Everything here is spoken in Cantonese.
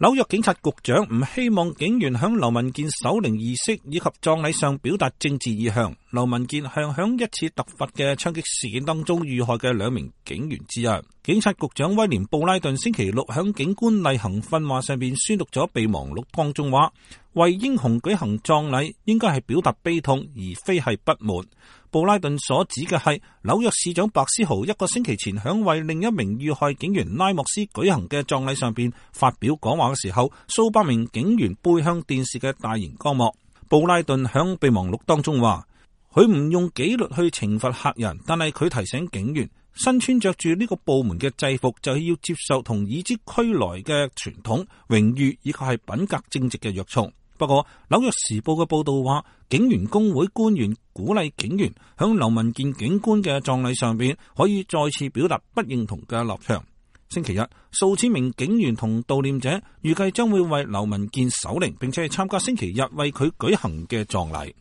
紐約警察局長唔希望警員響劉文健守靈儀式以及葬禮上表達政治意向。劉文健係響一次突發嘅槍擊事件當中遇害嘅2名警員之一。警察局長威廉布拉頓星期六響警官例行訓話上邊宣讀咗備忘錄，當中話為英雄舉行葬禮應該係表達悲痛，而非係不滿。布拉頓所指嘅係紐約市長白思豪1個星期前響為另一名遇害警員拉莫斯舉行嘅葬禮上邊發表講話嘅時候，數百名警員背向電視嘅大型光幕。布拉頓響備忘錄當中話，佢唔用紀律去懲罰客人，但係佢提醒警員，身穿着住呢個部門嘅制服就係要接受同以之俱來嘅傳統、榮譽以及係品格正直嘅約束。不過紐約時報嘅報道話，警員工會官員鼓勵警員響劉文健警官嘅葬禮上邊可以再次表達不認同嘅立場。星期日，數千名警員同悼念者預計將會為劉文健守靈，並且係參加星期日為佢舉行嘅葬禮。